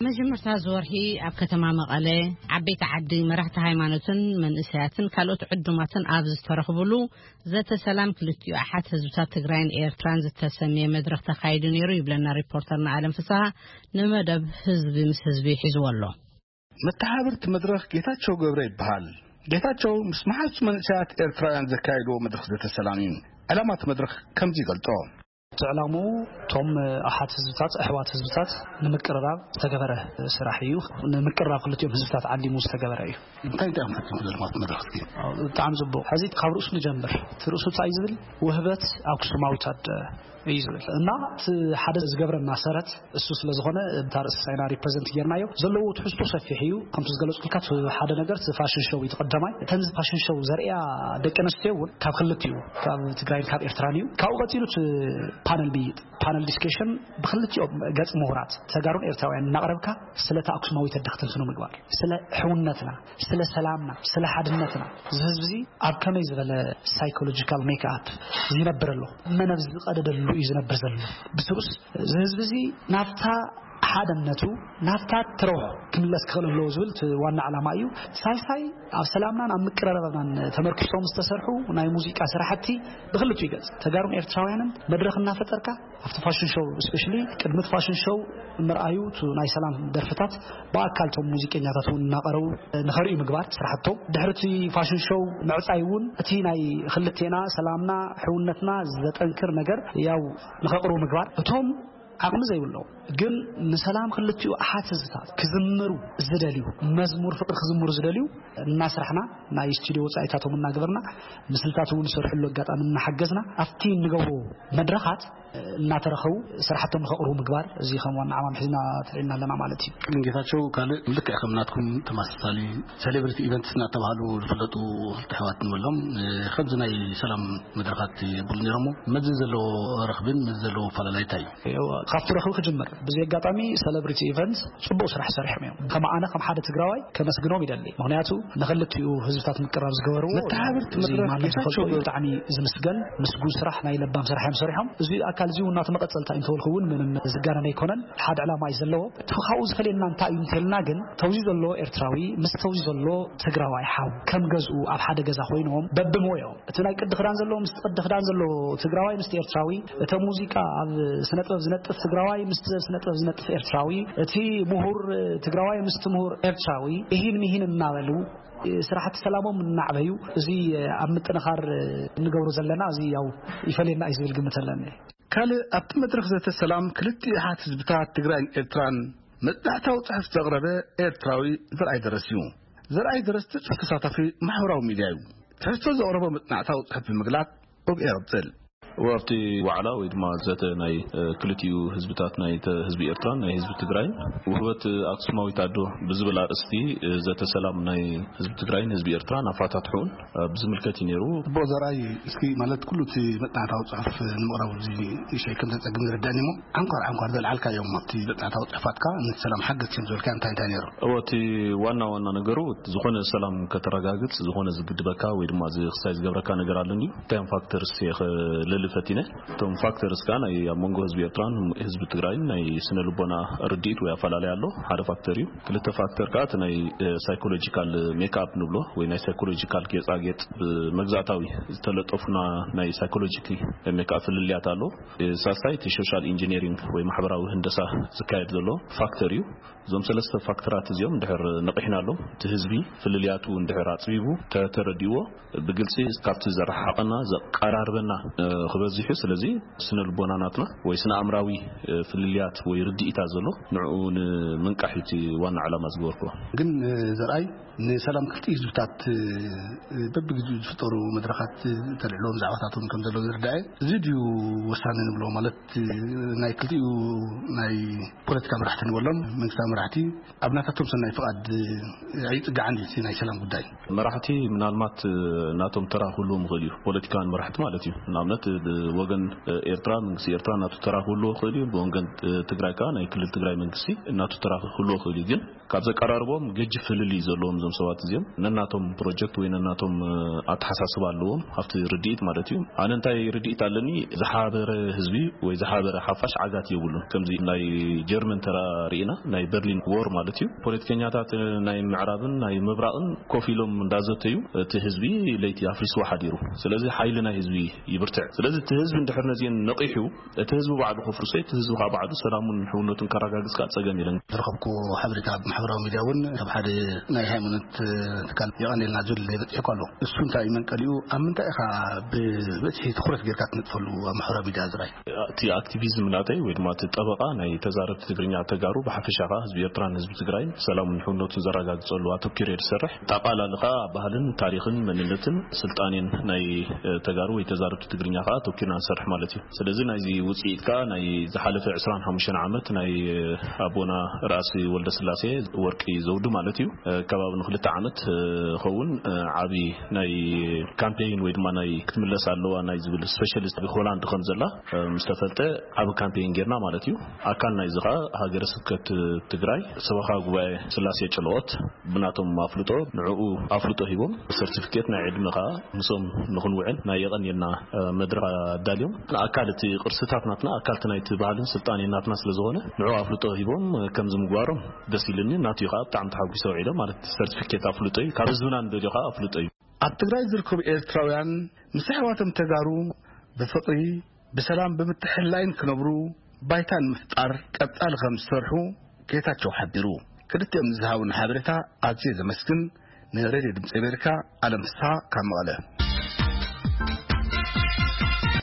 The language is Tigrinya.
መጀመርታ ዝወርሒ ኣብ ከተማ መቐለ ዓበይቲ ዓዲ፣ መራሕቲ ሃይማኖትን መንእሰያትን ካልኦት ዕዱማትን ኣብ ዝተረኽብሉ፣ ዘተ ሰላም ክልቲኡ ኣሓት ህዝብታት ትግራይን ኤርትራን ዝተሰምየ መድረኽ ተኻይዱ ነይሩ ይብለና ሪፖርተርና ኣለም ፍስሃ። ንመደብ ህዝቢ ምስ ህዝቢ ሒዝዎ ኣሎ። መተሓባበርቲ መድረኽ ጌታቸው ገብረ ይበሃል። ጌታቸው ምስ መሓዙት መንእሰያት ኤርትራውያን ዘካየድዎ መድረኽ ዘተ ሰላም እዩ። ዕላማት መድረኽ ከምዚ ይገልጾ። እቲ ዕላምኡ እቶም ኣሓት ህዝብታት፣ ኣሕዋት ህዝብታት ንምቅርራብ ዝተገበረ ስራሕ እዩ። ንምቅርራብ ክልቲኦም ህዝብታት ዓሊሙ ዝተገበረ እዩ። እንታይ እንታይ እዮም ፈቲኑ ዘለማት መድረኽ እስኪ? ብጣዕሚ ጽቡቕ። ሕዚ ካብ ርእሱ ንጀምር። እቲ ርእሱ እንታይ ዝብል? ውህበት ኣክሱማዊት ኣደ እዩ ዝብል። እና እቲ ሓደ ዝገብረና ሰረት እሱ ስለ ዝኾነ፣ እታ ርእሲ ሳይና ሪፕረዘንት ጌርናዮ። ዘለዎ ትሕዝቶ ሰፊሕ እዩ። ከምቲ ዝገለጽኩልካ፣ እቲ ሓደ ነገር እቲ ፋሽን ሾው እዩ፣ እቲ ቀዳማይ። እተን ፋሽን ሾው ዘርእያ ደቂ ኣንስትዮ እውን ካብ ክልቲኡ፣ ካብ ትግራይን ካብ ኤርትራን እዩ። ካብኡ ቀጺሉ እቲ ፓነል ምይይጥ፣ ፓነል ዲስከሽን ብክልቲኦም ገጽ ምሁራት ተጋሩን ኤርትራውያን እናቕረብካ ስለታ ኣክሱማዊት ኣደ ክትንትኑ ምግባር፣ ስለ ሕውነትና፣ ስለ ሰላምና፣ ስለ ሓድነትና። እዚ ህዝቢ እዚ ኣብ ከመይ ዝበለ ሳይኮሎጂካል ሜክኣፕ ይነብር ኣሎ? መን ኣብ ዝቐደደሉ እዩ ዝነብር ዘሎ? ብስሩስ እዚ ህዝቢ እዚ ናብታ ሓደነቱ፣ ናብታ ትረውሖ ክምለስ ክኽእል ኣለዎ ዝብል እቲ ዋና ዕላማ እዩ። ሳልሳይ፣ ኣብ ሰላምናን ኣብ ምቅርራብናን ተመርኪሶም ዝተሰርሑ ናይ ሙዚቃ ስራሕቲ ብክልቲኡ ገጽ፣ ተጋሩን ኤርትራውያንን መድረኽ እናፈጠርካ፣ ኣብቲ ፋሽን ሾው፣ ስፔሻሊ ቅድሚ እቲ ፋሽን ሾው ምርኣዩ፣ እቲ ናይ ሰላም ደርፍታት ብኣካል እቶም ሙዚቀኛታት እውን እናቐረቡ ንኸርእዩ ምግባር ስራሕቶም። ድሕሪ እቲ ፋሽን ሾው ምዕጻይ እውን እቲ ናይ ክልቴና ሰላምና፣ ሕውነትና ዘጠንክር ነገር ያው ንኸቕርቡ ምግባር። እቶም ዓቕሚ ዘይብሎም ግን ንሰላም ክልቲኡ ኣሓት ህዝብታት ክዝምሩ ዝደልዩ፣ መዝሙር ፍቕሪ ክዝምሩ ዝደልዩ እናስራሕና፣ ናይ ስቱዲዮ ወጻኢታቶም እናገበርና፣ ምስልታት እውን ዝሰርሕሉ ኣጋጣሚ እናሓገዝና፣ ኣብቲ እንገብሮ መድረኻት እናተረኸቡ ስራሕቶም ንኸቕርቡ ምግባር፣ እዚ ከም ዋና ዓማም ሒዝና ተልዒልና ኣለና ማለት እዩ። ግን ጌታቸው፣ ካልእ ልክዕ ከም ናትኩም ተመሳሳሊ ሴሌብሪቲ ኢቨንትስ እናተባህሉ ዝፍለጡ ክልተ ኣሕዋት ንበሎም፣ ከምዚ ናይ ሰላም መድረኻት የብሉ ነይሮሞ። መዚ ዘለዎ ረኽብን መዚ ዘለዎ ኣፈላላይ እንታይ እዩ? እዎ፣ ካብቲ ረኽቢ ክጅምር። ብዚ ኣጋጣሚ ሴሌብሪቲ ኢቨንትስ ጽቡቕ ስራሕ ሰሪሖም እዮም። ከም ኣነ ከም ሓደ ትግራዋይ ከመስግኖም ይደሊ። ምኽንያቱ ንኽልቲኡ ህዝብታት ምቅራብ ዝገበርዎ፣ መተሓባበርቲ እዚ መድረኽ ማንም ጌታቸው ዝፈልጦ እዩ። ገብረ። ብጣዕሚ ዝምስገን ምስጉን ስራሕ፣ ናይ ለባም ስራሕ እዮም ሰሪሖም። እዚ ኣካል እዚ እውን ናቱ መቐጸልታ እዩ እንተበልኩ እውን ምንም ዝጋነን ኣይኮነን። ሓደ ዕላማ እዩ ዘለዎ። እቲ ካብኡ ዝፈልየና እንታይ እዩ እንተልና ግን፣ ተውዚ ዘሎ ኤርትራዊ ምስ ተውዚ ዘሎ ትግራዋይ ሓው ከም ገዝኡ ኣብ ሓደ ገዛ ኮይኖም በብሞዮም፣ እቲ ናይ ቅዲ ክዳን ዘሎ ምስ ቅዲ ክዳን ዘሎ ትግራዋይ ምስቲ ኤርትራዊ፣ እቲ ሙዚቃ ኣብ ስነ ጥበብ ዝነጥፍ ትግራዋይ ምስቲ ስነ ጥበብ ዝነጥፍ ኤርትራዊ፣ እቲ ምሁር ትግራዋይ ምስቲ ምሁር ኤርትራዊ፣ እሂን ምሂን እናበሉ ስራሕቲ ሰላሞም እናዕበዩ፣ እዚ ኣብ ምጥንኻር እንገብሮ ዘለና፣ እዚ ያው ይፈልየና እዩ ዝብል ግምት ኣለኒ። ካልእ ኣብቲ መድረኽ ዘተ ሰላም ክልቲኡ ኣሓት ህዝብታት ትግራይን ኤርትራን መጽናዕታዊ ጽሑፍ ዘቕረበ ኤርትራዊ ዘርኣይ ደረስ እዩ። ዘርኣይ ደረስ ትጹፍ ተሳታፊ ማሕበራዊ ሚድያ እዩ። ትሕዝቶ ዘቕረቦ መጽናዕታዊ ጽሑፍ ብምግላጽ፣ ኦግ ኤረብጽል። ኣብቲ ዋዕላ ወይ ድማ ዘተ ናይ፣ እ፣ ክልቲኡ ህዝብታት፣ ናይ ተ-፣ ህዝቢ ኤርትራን ናይ ህዝቢ ትግራይን፣ ውህበት ኣክሱማዊት ኣዶ ብዝብል ኣርእስቲ፣ እ፣ ዘተ ሰላም ናይ ህዝቢ ትግራይን ህዝቢ ኤርትራን ኣፋታትሑን፣ እ፣ ብዝምልከት እዩ ነይሩ። ጽቡቕ ዘርኣይ፣ እስኪ ማለት ኩሉ እቲ መጽናዕታዊ ጽሑፍ ንምቕራቡ እዚ ንእሽተይ ከም ዘጸግም ዝርዳእኒ እሞ፣ ዓንኳር ዓንኳር ዘልዓልካዮም ኣብቲ መጽናዕታዊ ጽሑፋትካ ነቲ ሰላም ሓገዝ ከም ዝበልካ እንታይ እንታይ ነይሩ? እዎ፣ እቲ ዋና ዋና ነገሩ፣ ዝኾነ ሰላም ከተረጋግጽ፣ ዝኾነ ዝግድበካ ወይ ድማ እዚ ክሳይ ዝገብረካ ነገር ኣሎ እንድዩ። እንታይ እዮም ፋክተርስ እየ ክልሊ ፈቲነ። እቶም ፋክተርስ ከኣ ናይ ኣብ መንጎ ህዝቢ ኤርትራን ህዝቢ ትግራይን ናይ ስነ ልቦና ርድኢት ወይ ኣፈላለይ ኣሎ። ሓደ ፋክተር እዩ። ክልተ ፋክተር ከኣ እቲ ናይ፣ እ፣ ሳይኮሎጂካል ሜክኣፕ ንብሎ ወይ ናይ ሳይኮሎጂካል ጌጻጌጥ ብመግዛእታዊ ዝተለጠፉና ናይ ሳይኮሎጂካል ሜክኣፕ ፍልልያት ኣሎ። እ፣ ሳልሳይ እቲ ሶሻል ኢንጂነሪንግ ወይ ማሕበራዊ ህንደሳ ዝካየድ ዘሎ ፋክተር እዩ። እዞም ሰለስተ ፋክተራት እዚኦም እንድሕር ነቒሕናሎም፣ እቲ ህዝቢ ፍልልያቱ እንድሕር ኣጽቢቡ፣ ተ-፣ ተረዲእዎ፣ ብግልጺ ካብቲ ዘረሓቐና፣ ዘቀራርበና፣ እ፣ ክበዝሕ እዩ። ስለዚ ስነ ልቦና ናትና ወይ ስነ ኣእምራዊ፣ እ፣ ፍልልያት ወይ ርድኢታ ዘሎ ንዕኡ ንምንቃሕ እዩ እቲ ዋና ዕላማ ዝገበርኩዎ። ግን፣ እ፣ ዘርኣይ ንሰላም ክልቲኡ ህዝብታት፣ እ፣ በብግዜኡ ዝፍጠሩ መድረኻት፣ እ፣ ተልዕሎም ዛዕባታቶም ከም ዘለዉ ዝርዳእ እየ። እዚ ድዩ ወሳኒ ንብሎ ማለት፣ እ፣ ናይ ክልቲኡ ናይ ፖለቲካ መራሕቲ ንበሎም መንግስታዊ መራሕቲ ኣብ ናታቶም ሰናይ ፍቓድ፣ እ፣ ኣይጽጋዕን እዩ እቲ ናይ ሰላም ጉዳይ። መራሕቲ ምናልባት፣ እ፣ ናቶም ተራ ክህልዎም ይኽእል እዩ፣ ፖለቲካውያን መራሕቲ ማለት እዩ። ንኣብነት፣ ብወገን ኤርትራ፣ መንግስቲ ኤርትራ እናቱ ተራ ክህልዎ ክእል እዩ። ብወገን ትግራይ ከዓ ናይ ክልል ትግራይ መንግስቲ እናቱ ተራ ክህልዎ ክእል እዩ። ግን ካብ ዘቀራርቦም ገጅፍ ፍልልይ ዘለዎም እዞም ሰባት እዚኦም፣ ነናቶም ፕሮጀክት ወይ ነናቶም ኣተሓሳስባ ኣለዎም ኣብቲ ርድኢት ማለት እዩ። ኣነ እንታይ ርድኢት ኣለኒ፣ ዝሓበረ ህዝቢ ወይ ዝሓበረ ሓፋሽ ዓጋት የብሉን። ከምዚ ናይ ጀርመን ተራ ርኢና፣ ናይ በርሊን ዎር ማለት እዩ። ፖለቲከኛታት ናይ ምዕራብን ናይ ምብራቕን ኮፍ ኢሎም እንዳዘተዩ እቲ ህዝቢ ለይቲ ኣፍሪስዎ ሓዲሩ። ስለዚ ሓይሊ ናይ ህዝቢ ይብርትዕ። ስለዚ እቲ ህዝቢ እንድሕር ነዚአን ነቒሑ፣ እቲ ህዝቢ ባዕሉ ከፍርሶ፣ እቲ ህዝቢ ከዓ ባዕሉ ሰላሙን ሕውነቱን ከረጋግጽ ከዓ ጸገም የለን። ዝረኸብኩ ሓበሬታ ኣብ ማሕበራዊ ሚድያ እውን ካብ ሓደ ናይ ሃይማኖት ትካል የቐንየልና ዝብል በፂሕኩ ኣሎ። እሱ እንታይ እዩ መንቀሊኡ? ኣብ ምንታይ ኢኻ ብበዝሒ ትኩረት ጌርካ ትነጥፈሉ ኣብ ማሕበራዊ ሚድያ ዝራይ? እቲ ኣክቲቪዝም ናተይ ወይ ድማ እቲ ጠበቓ ናይ ተዛረብቲ ትግርኛ ተጋሩ ብሓፈሻ ከዓ ህዝቢ ኤርትራን ህዝቢ ትግራይን ሰላሙን ሕውነቱን ዘረጋግጸሉ ኣተኪሩ እየ ዝሰርሕ። ጠቓላሊ ከዓ ባህልን ታሪኽን መንነትን ስልጣኔን ናይ ተጋሩ ወይ ተዛረብቲ ትግርኛ ከዓ ኣተኪርና ንሰርሕ ማለት እዩ። ስለዚ ናይዚ ውፅኢት ከዓ ናይ ዝሓለፈ ዕስራን ሓሙሽተን ዓመት ናይ ኣቦና ራእሲ ወልደ ስላሴ ወርቂ ዘውዱ ማለት እዩ። ከባቢ ንክልተ ዓመት ኸውን ዓብዪ ናይ ካምፔይን ወይ ድማ ናይ ክትምለስ ኣለዋ ናይ ዝብል ስፔሻሊስት ሆላንድ ከም ዘላ ምስ ተፈልጠ ዓቢ ካምፔይን ጌርና ማለት እዩ። ኣካል ናይዚ ከዓ ሃገረ ስብከት ትግራይ ሰበኻ ጉባኤ ስላሴ ጨለኦት ብናቶም ኣፍልጦ ንዕኡ ኣፍልጦ ሂቦም ሰርቲፊኬት ናይ ዕድመ ከዓ ምስኦም ንክንውዕል ናይ የቐንየልና መድረኽ ኣዳልዮም። ኣካል እቲ ቅርስታት ናትና፣ ኣካል እቲ ናይቲ ባህልን ስልጣኔ ናትና ስለ ዝኾነ ንዕኡ ኣፍልጦ ሂቦም ከምዚ ምግባሮም ደስ ኢልኒ። ናትዩ ከዓ ብጣዕሚ ተሓጒሰ ውዒለ ማለት ሰርቲፊኬት ኣፍልጦ እዩ። ካብ ህዝብና ንደልዮ ከዓ ኣፍልጦ እዩ። ኣብ ትግራይ ዝርከቡ ኤርትራውያን ምስ ኣሕዋቶም ተጋሩ ብፍቕሪ ብሰላም ብምትሕልላይን ክነብሩ ባይታ ንምፍጣር ቀጻሊ ከም ዝሰርሑ ጌታቸው ሓቢሩ። ክልቲኦም ንዝሃቡና ሓበሬታ ኣዝየ ዘመስግን። ንሬድዮ ድምፂ ኣሜሪካ ኣለም ፍስሓ ካብ መቐለ።